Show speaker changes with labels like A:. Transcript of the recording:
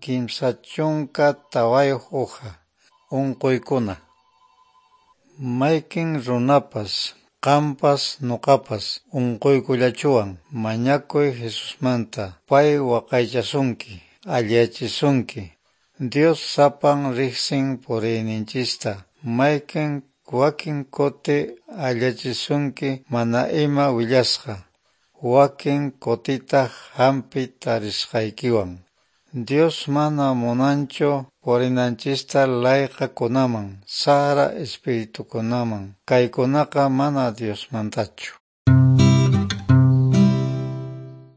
A: 34 uha. Unquykuna. Mayqin runapas, qampas nuqapas unquykullachuwan. Mañakuy Jesusmanta, pay waqaychasunki, alliyachisunki. Dios sapan riqsin puriyninchista, mayqin wakin kuti alliyachisunki mana ima willasqa, wakin kutitaq hampi tarisqaykiwan. Dios mana munanchu purinanchista layqakunaman, saqra espiritukunaman, kaykunaqa mana Diosmantachu.